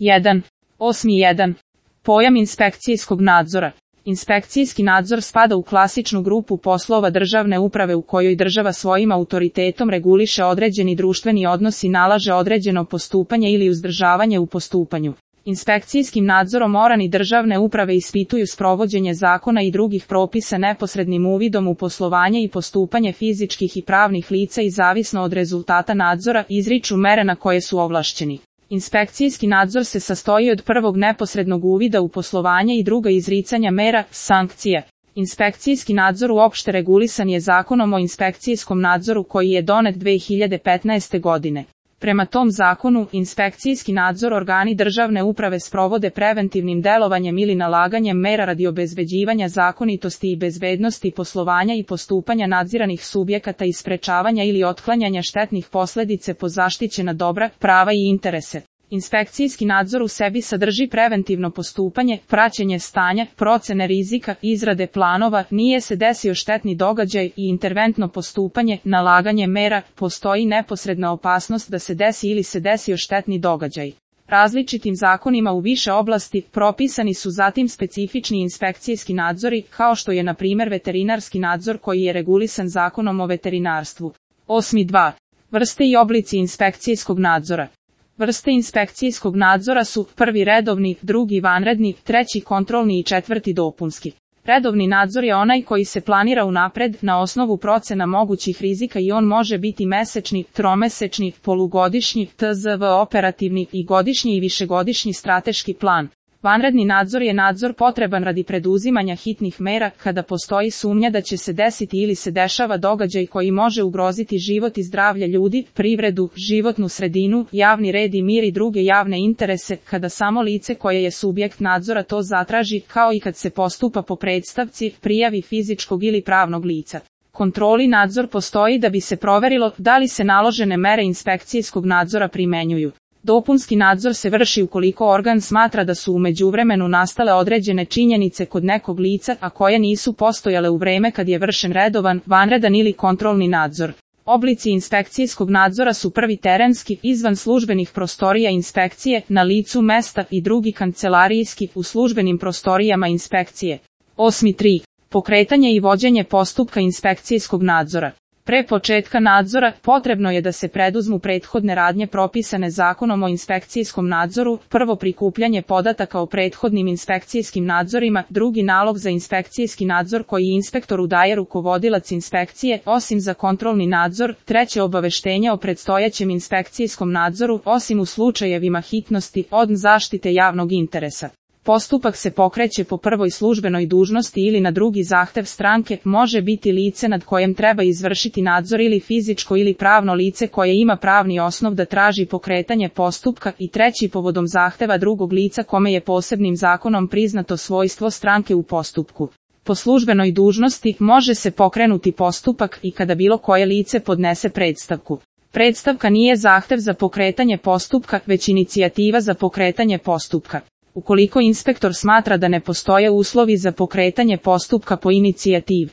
1. 8.1. Pojam inspekcijskog nadzora. Inspekcijski nadzor spada u klasičnu grupu poslova državne uprave u kojoj država svojim autoritetom reguliše određeni društveni odnos i nalaže određeno postupanje ili uzdržavanje u postupanju. Inspekcijskim nadzorom organi državne uprave ispituju sprovođenje zakona i drugih propisa neposrednim uvidom u poslovanje i postupanje fizičkih i pravnih lica i zavisno od rezultata nadzora izriču mere na koje su ovlašćeni. Inspekcijski nadzor se sastoji od prvog neposrednog uvida u poslovanje i druga izricanja mera, sankcija. Inspekcijski nadzor uopšte regulisan je Zakonom o inspekcijskom nadzoru koji je donet 2015. godine. Prema tom zakonu, inspekcijski nadzor organi državne uprave sprovode preventivnim delovanjem ili nalaganjem mera radi obezbeđivanja zakonitosti i bezbednosti poslovanja i postupanja nadziranih subjekata i sprečavanja ili otklanjanja štetnih posljedica po zaštićena dobra, prava i interese. Inspekcijski nadzor u sebi sadrži preventivno postupanje, praćenje stanja, procene rizika, izrade planova, nije se desio štetni događaj i interventno postupanje, nalaganje mera, postoji neposredna opasnost da se desi ili se desio štetni događaj. Različitim zakonima u više oblasti propisani su zatim specifični inspekcijski nadzori, kao što je na primjer veterinarski nadzor koji je regulisan Zakonom o veterinarstvu. 8.2. Vrste i oblici inspekcijskog nadzora. Vrste inspekcijskog nadzora su prvi redovni, drugi vanredni, treći kontrolni i četvrti dopunski. Redovni nadzor je onaj koji se planira unapred na osnovu procena mogućih rizika i on može biti mesečni, tromesečni, polugodišnji, tzv. Operativni i godišnji i višegodišnji strateški plan. Vanredni nadzor je nadzor potreban radi preduzimanja hitnih mera kada postoji sumnja da će se desiti ili se dešava događaj koji može ugroziti život i zdravlje ljudi, privredu, životnu sredinu, javni red i mir i druge javne interese, kada samo lice koje je subjekt nadzora to zatraži, kao i kad se postupa po predstavci, prijavi fizičkog ili pravnog lica. Kontrolni nadzor postoji da bi se proverilo da li se naložene mere inspekcijskog nadzora primenjuju. Dopunski nadzor se vrši ukoliko organ smatra da su u međuvremenu nastale određene činjenice kod nekog lica, a koje nisu postojale u vreme kad je vršen redovan, vanredan ili kontrolni nadzor. Oblici inspekcijskog nadzora su prvi terenski, izvan službenih prostorija inspekcije, na licu mesta i drugi kancelarijski, u službenim prostorijama inspekcije. 8.3. Pokretanje i vođenje postupka inspekcijskog nadzora. Pre početka nadzora, potrebno je da se preduzmu prethodne radnje propisane Zakonom o inspekcijskom nadzoru, prvo prikupljanje podataka o prethodnim inspekcijskim nadzorima, drugi nalog za inspekcijski nadzor koji inspektoru daje rukovodilac inspekcije, osim za kontrolni nadzor, treće obaveštenje o predstojećem inspekcijskom nadzoru, osim u slučajevima hitnosti, od zaštite javnog interesa. Postupak se pokreće po prvoj službenoj dužnosti ili na drugi zahtev stranke, može biti lice nad kojem treba izvršiti nadzor ili fizičko ili pravno lice koje ima pravni osnov da traži pokretanje postupka i treći povodom zahteva drugog lica kome je posebnim zakonom priznato svojstvo stranke u postupku. Po službenoj dužnosti može se pokrenuti postupak i kada bilo koje lice podnese predstavku. Predstavka nije zahtev za pokretanje postupka, već inicijativa za pokretanje postupka. Ukoliko inspektor smatra da ne postoje uslovi za pokretanje postupka po inicijativi,